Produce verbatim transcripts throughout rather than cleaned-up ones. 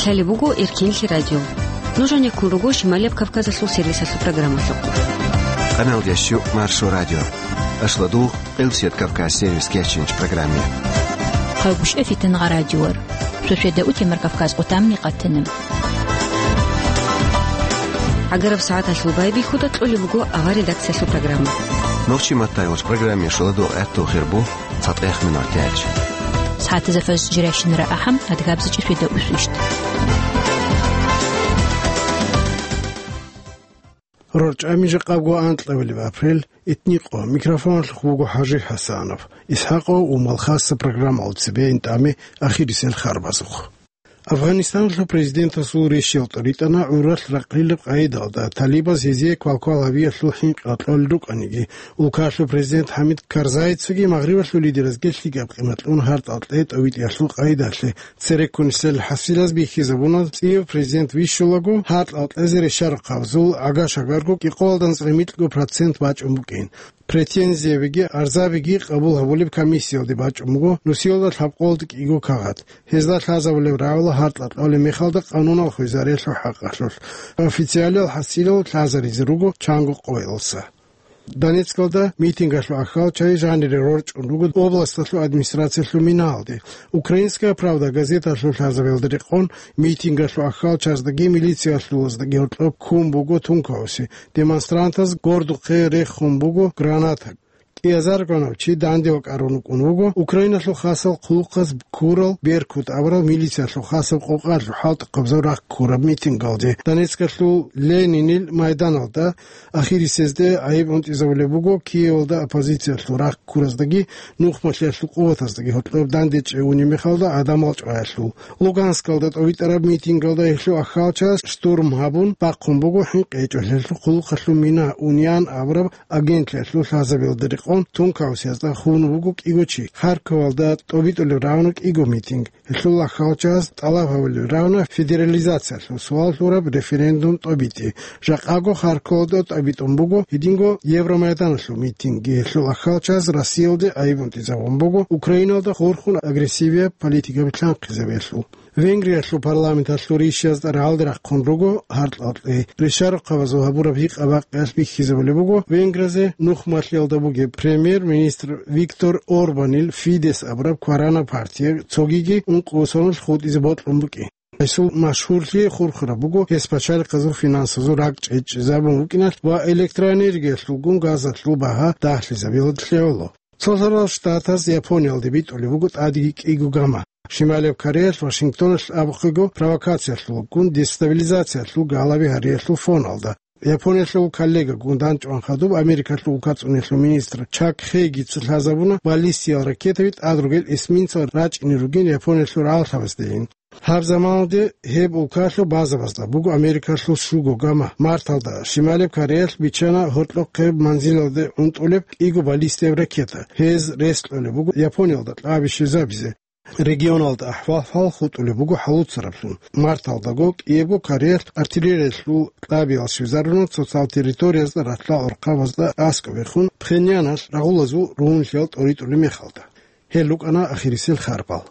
Гьале буго Эркинлъи радио. Нуж гьанеккун руго Шималияб Кавказалъул сервисалъул программалъухъ. Къаналдящу Маршо радио. Ашладугъ, Къилсият Кавказ сервис кечинч программе. Хъалгушев Фитангъа радиор. Шошеда утемар Кавказ къутамни къатана. ГӀагараб сагӀаталъул байбихьуда кьолеб буго авар редакциялъул программа. Нохчи маттайгъоч программе шуладугъ гӀатту хирбу. ЦатӀех минутач. СагӀатазда фаз жирайщинара ахӀам, адгабза чӀишвида усвищт. РорчӀами жакъабго анкьабилеб апрель, итникъо, микрофоналъухъ буго ХӀажи ХӀасанов. ИсхӀакъов Умал хасса программалда цебе ин тӀаме ахирисел харбазухъ. Афганистаналъул президентасул рещтӀел тӀоритӀана гӀуралъ ракъилаб къайдалда, талибаз гьезие квалквал гьабиялъул хӀинкъи кьолел рукӀаниги. Улкалъул президент ХӀамид Карзайицаги Магърибалъул лидеразги лъикӀаб къимат кьун гьартӀал кьей тӀовитӀиялъул къайдалъе. Цереккунисел хӀасилаз бихьизабуна, цӀияб президент вищулаго, гьартӀал кьезе рещараб хъабазул гӀага-шагарго кӀикъоялда анцӀрай микьго процент бачӀун букӀин. Претензиябиги арзабиги къабул гьабулеб комиссиялде бачӀун буго нусиялда лъабкъолда кӀиго кагъат. Гьезда лъазабулеб рагӀула гьартӀа кьолеб мехалда къанунал хвезариялъул хӀакъалъулъ. Официалиял хӀасилал лъазаризе руго чанго къоялдаса. Донецкалда митингалъул ахӀалчагӀи жанире рорчӀун руго областалъул администрациялъул минаялде. «Украинская правда» газеталъул лъазабиялда рекъон, митингалъул ахӀалчаздаги милициялъулаздаги гьоркьоб ккун буго тункаосе. Демонстрантаз гордухъе рехун буго граната. КӀиазаргунав чи данде вакӀарун вукӀун вуго Украиналъул хасал хъулухъаз ккурал «Беркут» абурал милициялъул хасаб къокъалъул хӀалтӀухъабазул рахъ ккураб митингалде. Донецкалъул Ленинил майданалда ахирисезде гӀайиб унтӀизабулеб буго Киевалда оппозициялъул рахъ ккураздаги нухмалъиялъул къуватаздаги гьоркьоб данде чӀегьунеб мехалда гӀадамал чӀваялъул. Луганскалда тӀовитӀараб митингалда гьелъул ахӀалчагӀаз штурм гьабун бахъун буго хӀинкъи гьечӀолъиялъул хъулухъалъул мина «Униан» абураб агентлъиялъул лъазабиялда рекъон, тункаусиязда хун вуго кӀиго чи. Харьковалда тӀобитӀулеб рагӀуна кӀиго митинг. Гьелъул ахӀалчагӀаз тӀалаб гьабулеб рагӀуна федерализациялъул суал лъураб референдум тӀобитӀи. Жакъаго Харьковалда тӀобитӀун буго гьединго Евромайданалъул митинги. Гьелъул ахӀалчагӀаз Россиялде гӀайиб унтӀизабун буго Украиналда хурхун агрессивияб политика билълъанхъизабиялъул. Венгриялъул парламенталъул ришшазда рагӀалде рахъун руго гьартӀал кьей. Рещараб хъабазул гьабураб гьикъа-бакъиялъ бихьизабулеб буго Венгриялъе нухмалъиялда бугеб премьер-министр Виктор Орбанил «Фидес» абураб кваранаб партия цогиги ункъо соналъ хутӀизе бокьун букӀин. Гьесул машгьурлъи хурхараб буго гьес пачалихъазул финансазул ракӀчӀей чӀезабун вукӀиналъ ва электроэнергиялъулгун газалъул багьа дагьлъизабиялъе гӀоло. Цолъарал Штатаз Япониялде битӀулеб буго тӀадеги кӀиго гама. Шималияб Кореялъ Вашингтоналъ абухъего провокациялъулгун дестабилизациялъул галаби гьариялъул фоналда. Япониялъул коллегагун дандчӀван хадуб Америкалъул улкацӀуниялъул министр Чак Хейгица лъазабуна баллистиял ракетаби тӀад ругел эсминцал рачӀине ругин Япониялъул рагӀаллъабаздейин. Гьаб заманалде гьеб улкалъул базабазда буго Америкалъул щуго гама. Марталда Шималеб Кореялъ биччана гьоркьохъеб манзилалде унтӀулеб кӀиго баллистияб ракета. Гьез рес кьолеб буго Япониялда кьаби щвезабизе. Регионалда ахӀвал-хӀал хутӀулеб буго хӀалуцараблъун. Марталдаго кӀиябго Кореялъ артиллериялъул кьабиял щвезаруна цоцал территориязда ралъдал гӀурхъабазда аскӀобехун Пхеньяналъ рагъулазул ругьунлъиял тӀоритӀулеб мехалда. Гьел рукӀана ахирисел харбал.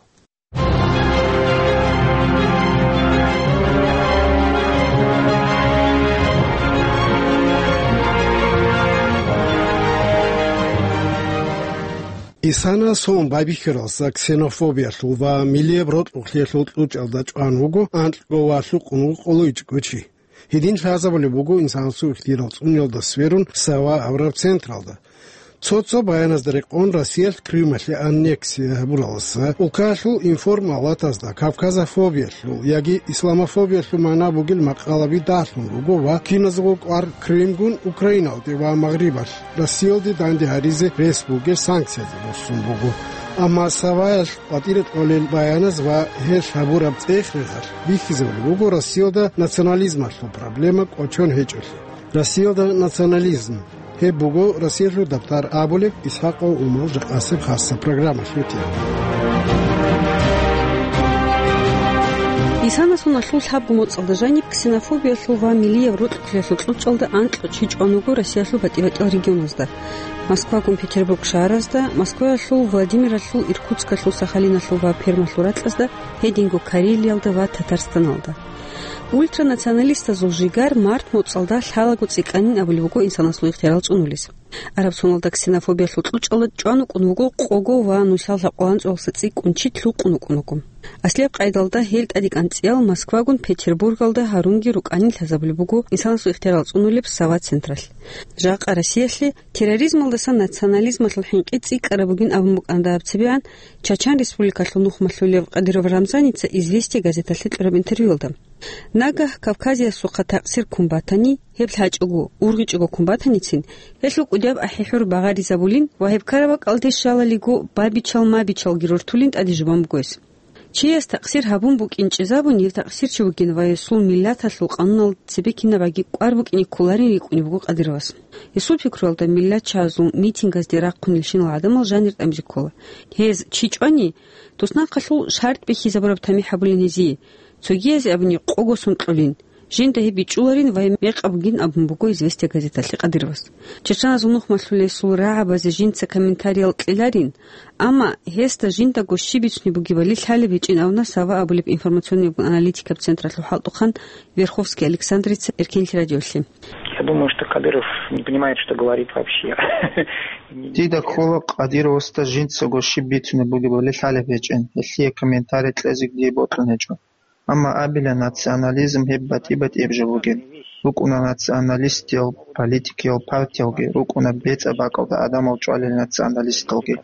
Исана сон байбихьаралса ксенофобиялъул ва миллияб рокьулъиялъул кьучӀалда чӀван вуго анкьго ва лъукъун вукъуличӀго чи. Гьедин лъазабулеб буго инсанасул ихтияр цӀуниялда сверун Сава абураб централда. Цо-цо баяназда рекъон Россиялъ Крымалъе аннексия гьабураласа, улкалъул информалатазда кавказофобиялъул яги исламофобиялъул магӀна бугел макъалаби дагьлъун руго ва киназго кӀвар Крымгун Украиналде ва Магърибалъ Россиялде данде гьаризе рес бугел санкциязда буссун буго. Амма Саваялъ къватӀире кьолел баяназ ва гьелъ гьабураб цӀех-рехалъ бихьизабулеб буго Россиялда национализмалъул проблема кӀочон гьечӀолъи. Россиялда национализм. Гьеб буго Россиялъул дабтар абулеб ИсхӀакъов Умал жакъасеб хасса программалъул тема. Исанасуналъул лъабго моцӀалда жаниб ксенофобиялъул ва миллияб рокьулъиялъул кьучӀалда анкьго чи чӀван вуго Россиялъул батӀи-батӀиял регионазда. Москвагун Петербург шагьаразда, Москваялъул, Владимиралъул, Иркутскалъул, Сахалиналъул ва Пермалъул ракьазда, гьединго Карелиялда ва Татарстаналда. Ультранационалистазул жигар март моцӀалда лъалаго цӀикӀкӀанин абулеб буго инсанасул ихтиярал цӀунулес. Араб соналда ксенофобиялъул кьучӀалда чӀван вукӀун вуго къого ва нусал лъабкъоялда анцӀцӀалдаса цӀикӀкӀун чи лъукъун вукӀун вуго. Аслияб къайдалда гьел тӀадегӀан цӀиял Москвагун Петербургалда гьарунги рукӀанин лъазабулеб буго инсанасул ихтиярал цӀунулеб Сава централъ. Жакъа Россиялъе терроризмалдаса национализмалъул хӀинкъи цӀикӀкӀараб бугин абун букӀана дагьаб цебегӀан Чачан Республикалъул нухмалъулев Кадыров Рамзаница «Известия» газеталъе кьураб интервьюялда. Нагагь Кавказиясухъа такъсир ккун батани, гьеб лъачӀого, ургъичӀого ккун батаницин, гьелъул кӀудияб ахӀи-хӀур багъаризабулин ва гьеб ккараб бакӀалде щалалиго, бабичал-мабичалги рортулин тӀаде жубан буго гьес. Чияс такъсир гьабун букӀинчӀезабун, гьев такъсирчи вугин ва гьесул миллаталъул къануналда цебе кинабгӀаги кӀвар букӀине кколарин рикӀкӀунеб буго Кадыровас. Гьесул пикруялда, миллатчагьазул митингаздеги рахъунелщинал гӀадамал жанир тӀамизе ккола. Гьез чи чӀвани, туснахъалъул шартӀ бихьизабураб тамихӀ гьабулин гьезие, цогиязе абуни къого сон кьолин, жинда гьеб бичӀчӀуларин ва гьеб мекъаб бугин абун буго «Известия» газеталъе Кадыровас. Чачаназул нухмалъулесул рагӀабазе жинца комментариял кьеларин, амма гьесда жиндаго щиб бицунеб бугебали лъалеб гьечӀин абуна Сава абулеб информационный-аналитикаб централъул хӀалтӀухъан Верховский Александрица Эркенлъи радиолъе. Я думаю, что Кадыров не понимает, что говорит вообще. Дида ккола Кадыровасда жинцаго щиб бицунеб бугебали лъалеб гьечӀин, гьелъие комментарий кьезе дие бокьун гьечӀо. Амма абила, национализм гьеб батӀи-батӀияб жо бугин. РукӀуна националистиял политикиял партиялги, рукӀуна бецӀа бакӀалда гӀадамал чӀвалел националисталги.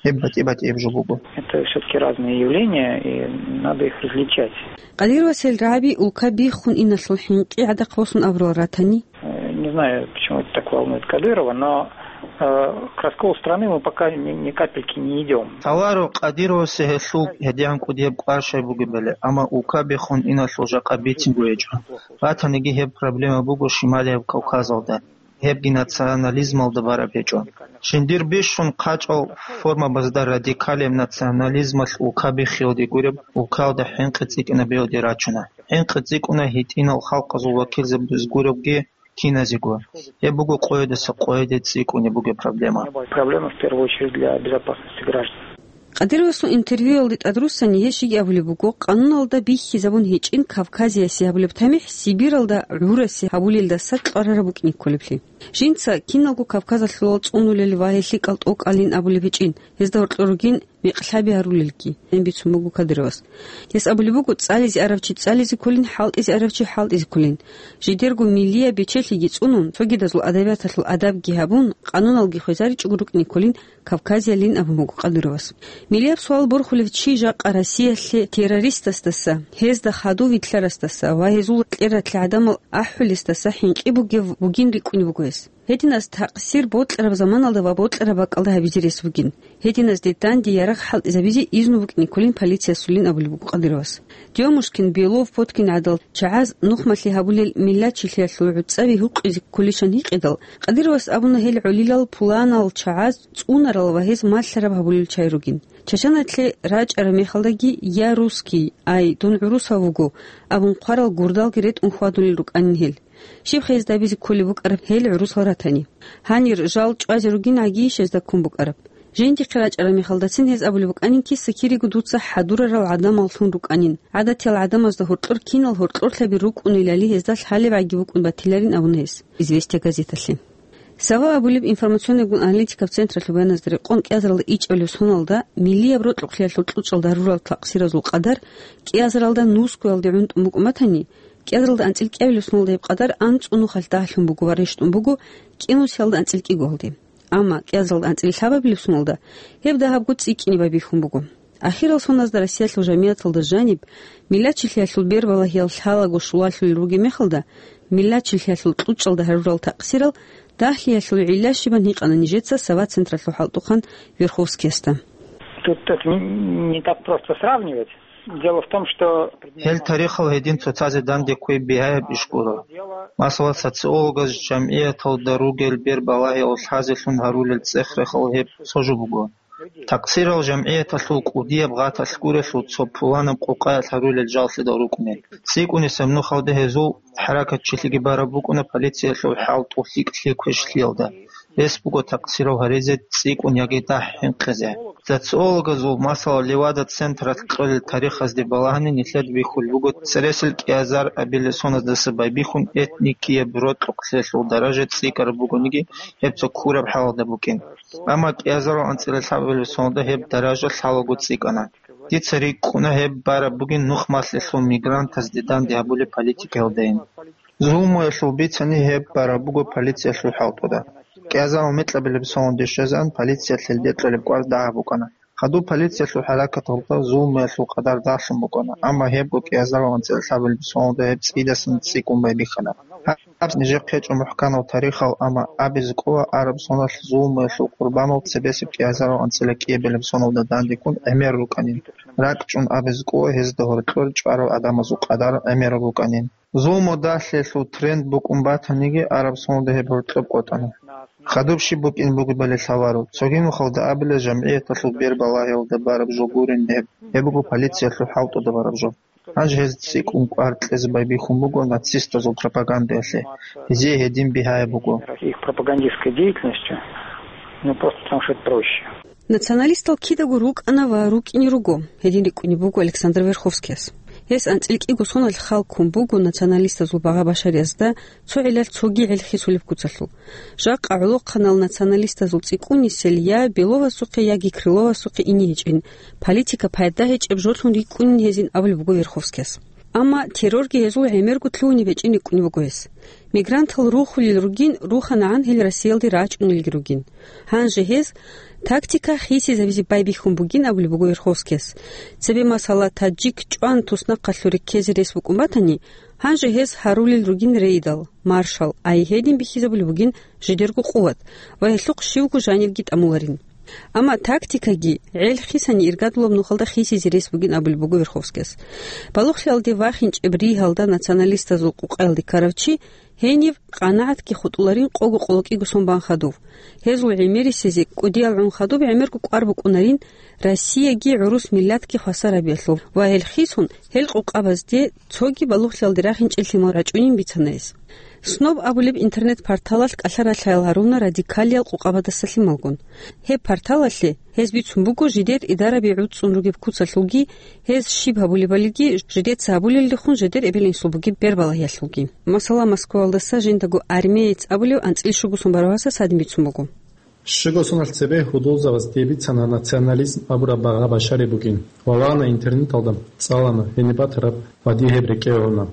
Гьеб батӀи-батӀияб жо буго. Это всё-таки разные явления, и надо их различать. Кадыровас гьел рагӀаби улка биххун иналъул хӀинкъи гӀадахъ босун абурал ратани? Э, не знаю, почему это так волнует Кадырова, но, э, к расколу страны мы пока ни, ни капельки не идём. Лъаларо Кадыровасе гьелъул гьедигӀан кӀудияб кӀвар щай бугебали, амма улка биххун иналъул жакъа бицинго гьечӀо. Батаниги гьеб проблема буго Шималияб Кавказалда. Гьебги национализмалда бараб гьечӀо. Жиндир бищун хъачӀал формабазда радикалияб национализмалъ улка биххиялде гуреб, улкаялда хӀинкъи цӀикӀкӀинабиялде рачуна. ХӀинкъи цӀикӀкӀуна гьитӀинал халкъазул вакилзабаз гуребги киназего. Гьеб буго къоядаса къояде цӀикӀкӀунеб бугеб проблема. Проблема в первую очередь для безопасности граждан. Кадыровасул интервьюялде тӀадруссани гьес жеги абулеб буго, къануналда бихьизабун гьечӀин Кавказиясе гьабулеб тамихӀ Сибиралда гӀурасе гьабулелдаса кьварараб букӀине кколеблъи. Жинца киналго Кавказалъулал цӀунулел ва гьел лъикӀал тӀокӀалин абулеб гьечӀин, гьезда гьоркьор ругин мекълъаби гьарулелги, гьеб бицун буго Кадыровас. Гьес абулеб буго, цӀализе арав чи цӀализе кколин, хӀалтӀизе арав чи хӀалтӀизе кколин. Жидерго миллияб бечелъиги цӀунун, цогидазул адабияталъул адабги гьабун, къануналги хвезаричӀого рукӀине кколин Кавказиялин абун буго Кадыровас. Миллияб суал борхулев чи жакъа Россиялъе террористасдаса, гьезда хадув вилълъарасдаса ва гьезул кьератлъи гӀадамал ахӀулесдаса хӀинкъи бугев бугин рикӀкӀунеб буго гьес. Гьединаз такъсир бокьараб заманалда ва бокьараб бакӀалда гьабизе рес бугин. Гьединазде данде ярагъ хӀалтӀизабизе изну букӀине кколин полициясулин абулеб буго Кадыровас. Демушкин, Белов, Поткин гӀадал чагӀаз нухмалъи гьабулел миллатчилъиялъул гӀуцӀаби гьукъизе кколищан гьикъидал, Кадыровас абуна гьел гӀолилал пуланал чагӀаз цӀунарал ва гьез малъараб гьабулел чагӀи ругин. Чачаналъе рачӀараб мехалдаги «Я русский, ай, дун гӀурусав вуго» абун хъварал гурдалги ретӀун хьвадулел рукӀанин гьел. Щиб гьезда абизе кколеб букӀараб гьел гӀурусал ратани? Гьанир жал чӀвазе ругин гӀагийищ гьезда ккун букӀараб? Жиндихъе рачӀараб мехалдацин гьез абулеб букӀанин киса-кириго дуца хӀадурарал гӀадамаллъун рукӀанин, гӀадатиял гӀадамазда гьоркьор кинал гьоркьорлъаби рукӀунелали гьезда лъалеб гӀаги букӀун батиларин абуна гьес «Известия» газеталъе. Сава абулеб информационный-аналитикаб централъул баяназда рекъон кӀиазаралда ичӀабилеб соналда миллияб рокьукълъиялъул кьучӀалда гьарурал такъсиразул къадар кӀиазаралда нусгоялде гӀунтӀун букӀун батани, кӀиазаралда анцӀил кӀиабилеб соналда гьеб къадар анцӀго нухалъ дагьлъун буго ва рещтӀун буго кӀинусиялда анцӀил кӀигоялде. Амма кӀиазаралда анцӀил лъабабилеб соналда гьеб дагьабго цӀикӀкӀине байбихьун буго. Ахирал соназда Россиялъул жамигӀаталда жаниб, миллатчилъиялъул бербалагьиял лъалаго щулалъулел ругеб мехалда, миллатчилъиялъул кьучӀалда гьарурал такъсирал дагьлъиялъул гӀилла щибан гьикъана нижеца Сава централъул хӀалтӀухъан Верховскиясда. Тут это не, не так просто сравнивать. Дело в том, что Гьел тарихал гьедин цоцазе данде кквей бигьаяб иш гуро. Масала, социологаз жамгӀияталда ругел бербалагьиял лъазелъун гьарулел цӀех-рехал гьеб цо жо буго. Такъсирал жамгӀияталъул кӀудияб гъаталъ гурелъул цо пуланаб къукъаялъ гьарулел жаллъидал рукӀунел. ЦӀикӀкӀунесеб нухалда гьезул хӀаракатчилъиги бараб букӀуна полициялъул хӀалтӀу лъикӀлъи квешлъиялда. Рес буго такъсирал гьаризе цӀикӀкӀун яги дагь хӀинкъизе. Социологазул, масала, Левада централъ кьолел тарихазде балагьани нилъеда бихьулеб буго цересел кӀиазар абилеб соназдаса байбихьун этникияб рокьукълъиялъул даража цӀикӀкӀараб бугониги, гьеб цо ккураб хӀалалда букӀин. Амма кӀиазарал анцӀила лъабабилеб соналда гьеб даража лъалаго цӀикӀкӀана. Дица рикӀкӀуна гьеб бараб бугин нух малъелъул мигрантазде данде гьабулеб политикаялдайин. Зулмуялъул бицани гьеб бараб буго полициялъул хӀалтӀуда. КӀиазарал микьабилеб соналде щвезегӀан полициялъ гьелде кьолеб кӀвар дагьаб букӀана. Хадуб полициялъул хӀаракаталда зулмуялъул къадар дагьлъун букӀана, амма гьебго кӀиазарал анцӀила лъабабилеб соналда гьеб цӀидасан цӀикӀкӀун байбихьана. Гьаб нижехъе гьечӀо мухӀканав тарихал, амма абизе кӀола араб соналъ зулмуялъул къурбанал цебесеб кӀиазарал анцӀила кӀиабилеб соналда дандеккун гӀемер рукӀанин. РакӀчӀун абизе кӀола гьезда гьоркьор чӀварал гӀадамазул къадар гӀемераб букӀанин. Зулму дагьлъиялъул тренд букӀун батаниги, араб соналда гьеб гьоркьоб къотӀана. Хадуб щиб букӀин бугебали лъаларо. Цоги нухалда абила, жамгӀияталъул бербалагьиялда бараб жо гурин гьеб. Гьеб буго полициялъул хӀалтӀуда бараб жо. Гьанже гьез цӀикӀкӀун кӀвар кьезе байбихьун буго нацистазул пропагандалъе. Гьезие гьедин бигьаяб буго. Их пропагандистской деятельностью, ну, просто потому что это проще. Националистал кидаго рукӀана ва рукӀине руго, гьедин рикӀкӀунеб буго Александр Верховскияс. Гьес анцӀила кӀиго соналъ хал ккун буго националистазул багъа-башариязда цо гӀиллалъ цоги гӀел хисулеб куцалъул. Жакъа гӀолохъанал националистазул цӀикӀкӀунисел я Беловасухъе, яги Крыловасухъе ине гьечӀин, политика пайда гьечӀеб жолъун рикӀкӀунин гьезин абулеб буго Верховскияс. Амма террорги гьезул гӀемерго лъугьунеб гьечӀин рикӀкӀунеб буго гьес. Мигрантал рухулел ругин, руханагӀан гьел Россиялде рачӀунелги ругин. Гьанже гьез тактика хисизабизе байбихьун бугин абулеб буго Верховскияс. Цебе, масала, таджик чӀван туснахъалъуре ккезе рес букӀун батани, гьанже гьез гьарулел ругин рейдал, маршал, ай гьедин бихьизабулеб бугин жидерго къуват ва гьелъухъ щивго жанирги тӀамуларин. Амма тактикаги гӀел хисани иргадулаб нухалда хисизе рес бугин абулеб буго Верховскияс. Балугълъиялде вахинчӀеб ригьалда националистазул къукъаялде ккарав чи гьенив къанагӀатги хутӀуларин къого къоло кӀиго сон бан хадув. Гьезул гӀемерисезе кӀудиял гӀун хадуб гӀемерго кӀвар букӀунарин Россияги гӀурус миллатги хвасар гьабиялъул ва гьел хисун гьел къукъабазде цоги балугълъиялде рахинчӀел лъимал рачӀунин бицана гьес. Сноб абулеб интернет-порталалъ кӀалъа-ралъаял гьаруна радикалиял къукъабадаса лъималгун. Гьеб порталалъе гьез бицун буго жидер идараби гӀуцӀцӀун ругеб куцалъулги, гьез щиб гьабулебалиги, жидеца гьабулелдехун жидер эбел-инсул бугеб бербалагьиялъулги. Масала, Москваялдаса жиндаго армеец абулев анцӀила щуго сон барав гьасас гьадин бицун буго. Щуго соналъ цебе гьудулзабаз дие бицана национализм абураб багъа-башари бугин. Валана интернеталда, цӀалана, гьениб батараб ва дие гьеб рекӀее гӀуна.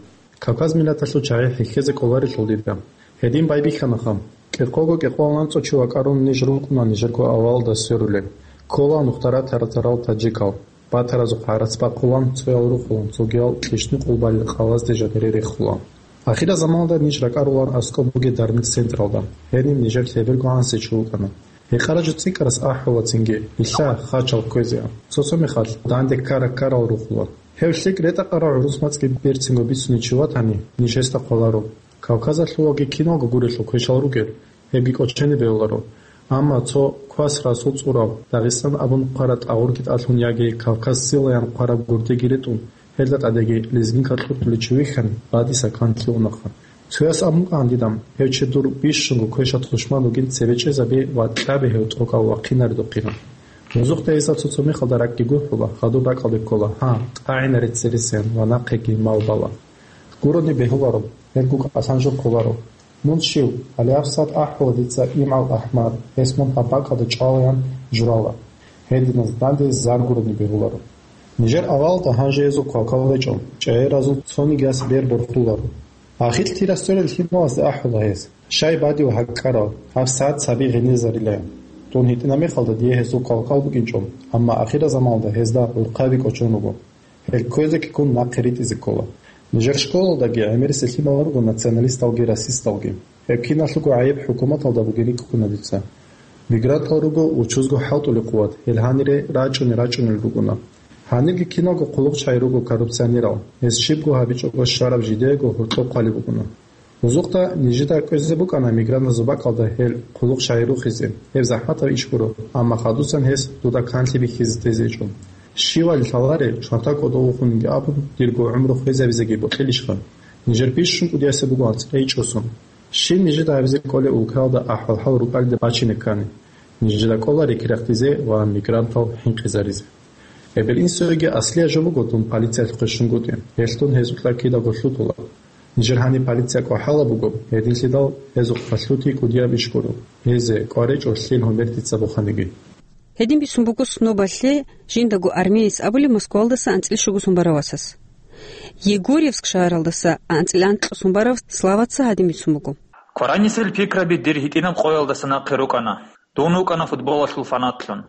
Кавказ миллаталъул чагӀи хӀехьезе кӀоларелъул дида. Гьедин байбихьанаха. КӀикъого-кӀикъоялда анцӀго чи вакӀарун ниж рукӀуна нижерго авалалда сверулел. Ккола нухда ратарал таджикал. Батаразухъ гӀарац бахъулан, цоял рухулан, цогиял кьищни-къулбали къалазде жанире рехулан. Ахирзаманалда ниж ракӀарулан аскӀоб бугеб дармил централда. Гьениб нижер лъеберго гӀанасев чи вукӀана. Гьекъараб жо цӀикӀкӀарас ахӀула цинги, нилъа хачал кквезеан. Цо-цо мехалъ данде ккара-ккарал рухула. Гьев лъикӀ ретӀа-къарал гӀурус мацӀги берцинго бицунев чи ватани, ниж гьесда хъваларо. Кавказалъувалги киналго гурелъул квешал ругел, гьебги кӀочене бегьуларо. Амма цо Квас Расул цӀурав, Дагъистан абун хъвараб тӀагъурги тӀалъун яги Кавказ силаян хъвараб гурдеги ретӀун, гьелда тӀадеги лезгинкал кьуртулев чи вихьани, гъадиса канлъи унаха. Цояс абун кӀан дида, гьев чи дур бищунго квешаб тушман вугин, цебе чӀезабе ва кьабе гьев тӀокӀав вахъинаридухъин. Музухъ дагьиса цо-цо мехалда ракӀги гурхӀула, хадуб ракӀалде ккола, гьа, тӀагӀинаре цересеян ва нахъеги мал бала. Гурони бегьуларо, гьелгун кӀалъан жо кколаро. Мун щив, гьале гьабсагӀат ахӀула дица имгӀал ахӀмад, гьес мун гьаб бакӀалда чӀвалаян журала. Гьединаз данде зар гурони бегьуларо. Нижер авалалда гьанже гьезул квалквал гьечӀо, чӀегӀеразул цониги яс бер борхуларо. Ахир тирасдерил лъималазда ахӀула гьез, щай бадив гьакӀкӀарал, гьабсагӀат саби гъенезарилан. Дун гьитӀина мехалда дие гьезул квалквал букӀинчӀо, амма ахирзаманалда гьезда гӀурхъаби кӀочон руго. Гьел кквезеги ккун нахъе ритӀизе ккола. Нижер школалдаги гӀемерисел лъимал руго националисталги расисталги. Гьеб киналъулго гӀайиб хӀукуматалда бугин рикӀкӀуна дица. Мигрантал руго учузго хӀалтӀулеб къуват, гьел гьанире рачӀунел-рачӀунел ругона. Гьанирги киналго хъулухъчагӀи руго коррупционерал, гьез щибго гьабичӀого щвараб жидеего гьоркьоб хъвалеб бугона. Бузухъда нижеда кӀвезе букӀана мигрантазул бакӀалда гьел хъулухъ щай рухизе, гьеб захӀматаб иш гуро, амма хадусан гьес дуда канлъи бихьизе тезе гьечӀо. Щивали лъаларе, чанта кӀодо вухунги абун, дирго гӀумру хвезабизеги бокьилищха? Нижер бищун кӀудиясе буго анцӀила ичӀосун. Щиб нижеда гьабизе кӀолеб улкаялда ахӀвал-хӀал рукӀалида бачине ккани? Нижеда кӀола рекерахъизе ва мигрантал хӀинкъизаризе. Эбел-инсуеги аслияб жо буго дун полициялъухъе щунгутӀи, гьелъ дун гьезул кьа кидаго лъутула. Нижер гьаниб полиция кӀвахӀала буго, гьединлъидал гьезухъа лъути кӀудияб иш гуро, гьезе кӀваречӀо лъил гьумер дица буханиги. Гьедин бицун буго снобалъе жиндаго армеец абулеб Москвалдаса анцӀила щугусун барав васас. Егорьевск шагьаралдаса анцӀила анкьусун барав Славаца гьадин бицун буго. Кваранисел пикраби дир гьитӀинаб къоялдаса нахъе рукӀана. Дун вукӀана футболалъул фанатлъун.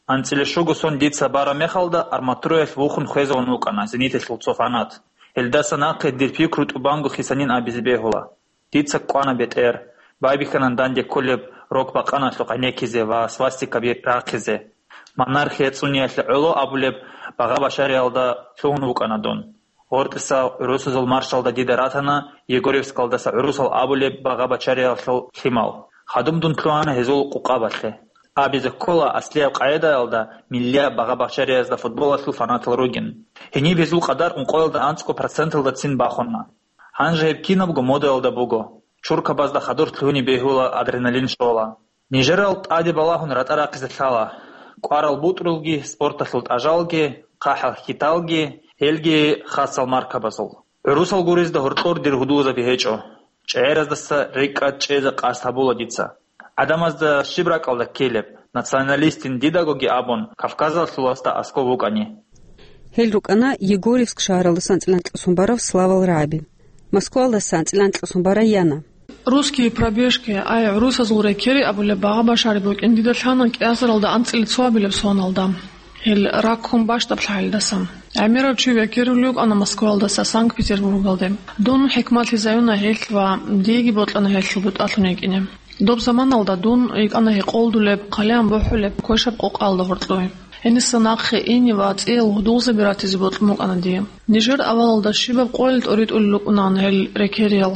АнцӀила щуго сон дица бараб мехалда, арматураялъ вухун хвезавун вукӀана «Зениталъул» цо фанат. Гьелдаса нахъе дир пикру тӀубанго хисанин абизе бегьула. Дица кӀвана бетӀер, байбихьана данде кколеб рок-бакъаналъухъ гӀенеккизе ва свастикаби рахъизе. Монархия цӀуниялъе гӀоло абулеб багъа-башариялда лъугьун вукӀана дун. Гъортиса гӀурусазул маршалда дида ратана Егорьевскалдаса гӀурусал абулеб багъа-башариялъул лъимал. Хадуб дун лъугьана гьезул къукъабалъе. Абизе ккола, аслияб къагӀидаялда миллияб багъа-башариязда футболалъул фанатал ругин. Гьениб гьезул къадар ункъоялда анцӀго проценталдацин бахуна. Гьанже гьеб кинабго модаялда буго. Чуркабазда хадур лъугьине бегьула, адреналин щола. Нижерал тӀаде балагьун ратӀа рахъизе лъала. КӀварал бутӀрулги, спорталъул тӀажалги, хъахӀал-хьиталги, гьелги хасал маркабазул. ГӀурусал гурезда гьоркьор дир гьудулзаби гьечӀо. ЧӀегӀераздаса рекӀкӀад чӀезе къасд гьабула дица. ГӀадамазда щиб ракӀалда ккелеб, националистин дидагоги абун, Кавказалъуласда аскӀов вукӀани. Гьел рукӀана Егорьевск шагьаралдаса анцӀила анкьусун барав Славал рагӀаби. Москвалдаса анцӀила анкьусун барай яна. «Русские пробежки», ай, «ГӀурусазул рекери» абулеб багъа-башари букӀин дида лъана кӀиазаралда анцӀила цо абилеб соналда. Гьел раккун бащдаб лъагӀалдаса. ГӀемерав чи векерулев вукӀана Москвалдаса Санкт-Петербургалде. Дун хӀикматлъизаюна гьелъ ва диеги бокьана гьелъул бутӀалъун йикӀине. Доб заманалда дун йикӀана гьекъолдулеб, хъалиян бухӀулеб квешаб къокъалда гьоркьой. Гьениса нахъе ине ва цӀиял гьудулзаби ратизе бокьун букӀана дие. Нижер авалалда щибаб къоялъ тӀоритӀулел рукӀунаан гьел рекериял.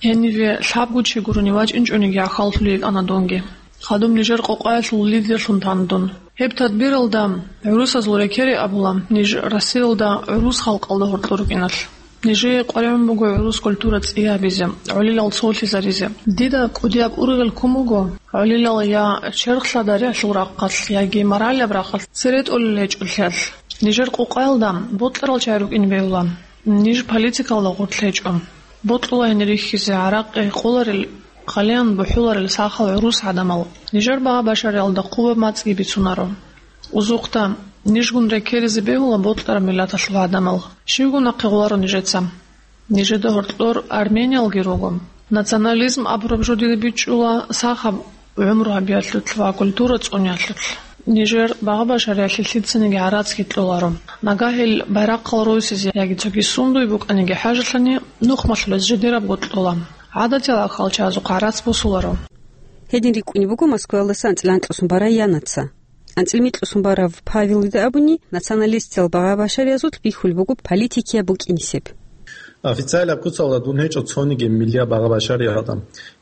Гьениве лъабго чи гурони вачӀинчӀониги гӀахьаллъулел йикӀана дунги. Хадуб нижер къокъаялъул лидерлъун тана дун. Гьеб тадбиралда, гӀурусазул рекери абула, ниж Россиялда гӀурус халкъалда гьоркьор рукӀиналъ. Нижее къваригӀун буго гӀурус культура цӀиябизе, гӀолилал цолъизаризе. Дида кӀудияб ургъел ккун буго, гӀолилал я черх лъадариялъул рахъалъ, яги моралияб рахъалъ цере тӀолел гьечӀолъиялъ. Нижер къокъаялда бокьарал чагӀи рукӀине бегьула. Ниж политикалда гъорлъ гьечӀо. Бокьула гьенир рихьизе гӀаракъи гьекъоларел, хъалиян бухӀуларел сахал гӀурус гӀадамал. Нижер багъа-башариялда хъубаб мацӀги бицунаро. Узухъда, нижгун рекеризе бегьула бокьараб миллаталъул гӀадамал. Щивгун нахъе гъоларо нижеца. Нижеда гьоркьор армениялги руго. Национализм абураб жо дида бичӀчӀула сахаб гӀумру гьабиялъулъ ва культура цӀуниялъулъ. Нижер багъа-башариялъе лъицаниги гӀарацги кьоларо. Нагагь гьел байрахъал ройсизе яги цоги сундуй букӀаниги хӀажалъани, нухмалъулез жидерабго кьола. ГӀадатиял ахьалчазухъ гӀарац босуларо. Гьедин рикӀкӀунеб буго Москваялдаса анцӀила анкьусун барай янаца. АнцӀила микьусун барав Павелида абуни, националистиял багъа-башариязулъ бихьулеб буго политикияб букӀинисеб. Официалияб куцалда дун гьечӀо цониги миллияб багъа-башариялда.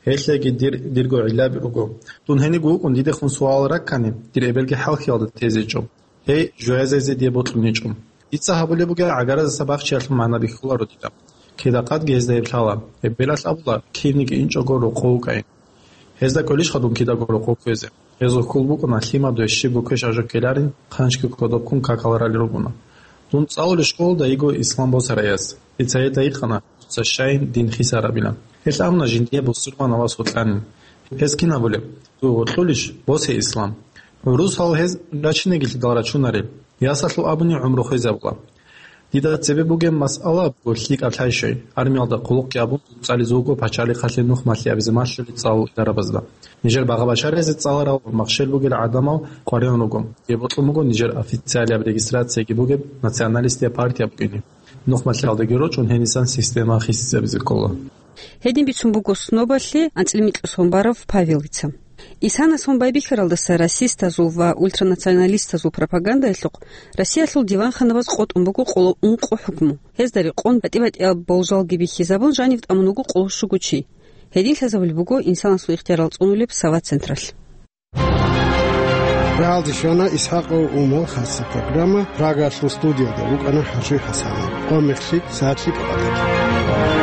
Гьелъеги дир, дирго гӀиллаби руго. Дун гьениго вукӀун дидехун суал раккани, дир эбелги хӀалхьиялда тезе гьечӀо. Гьей, жоязезе дие бокьун гьечӀо. Дица гьабулеб бугеб гӀагараздаса бахчиялъул магӀна бихьуларо дида. Кида-къадги гьезда гьеб лъала. Эбелалъ абула, кинниги инчӀого рокъов вукӀай. Гьезда кӀолищха дун кидаго рокъов кквезе? Гьезул хьул букӀуна, лъимадуе щибго квеш гьажо ккеларин, хъанчги кодоб ккун какал ралел ругона. Дун цӀалулищ школда йиго ислам босарай яс. Дица гьезда гьикъана, дуца щайин дин хисарабилан. Гьелъ абуна жиндие бусурманав вас вокьанин. Гьез кин абулеб? Дуе вокьулищ? Босе ислам. ГӀурусал гьез рачинегилъидал рачунарел. Ясалъул абуни гӀумру хвезабула. Дида цебе бугеб масъала буго лъикӀаб лъай-щай, армиялда хъулухъги абун, цӀализе вуго пачалихъалъе нухмалъи абизе малъулел цӀалул идарабазда. Нижер багъа-башаризе цӀаларал ва махщел бугел гӀадамал къваригӀун руго. Гьеб бокьун буго нижер официалияб регистрацияги бугеб националистияб партия букӀине. Нухмалъиялдаги рочӀун гьенисан система хисизабизе ккола. Гьедин бицун буго снобалъе анцӀила микьусун барав Павелица. Исанас гьун байбихьаралдаса расистазул ва ультранационалистазул пропагандаялъухъ Россиялъул диванханабаз къотӀун буго къоло ункъо хӀукму. Гьезда рекъон батӀи-батӀияб болжалги бихьизабун, жанив тӀамун вуго къоло щуго чи. Гьедин лъазабулеб буго инсанасул ихтиярал цӀунулеб Сава централъ. Рагьалде щвана ИсхӀакъов Умал хасса программа, Прагаялъул студиялда вукӀана ХӀажуй ХӀасанов. Къо мехлъи, сагӀатлъи къватӀир.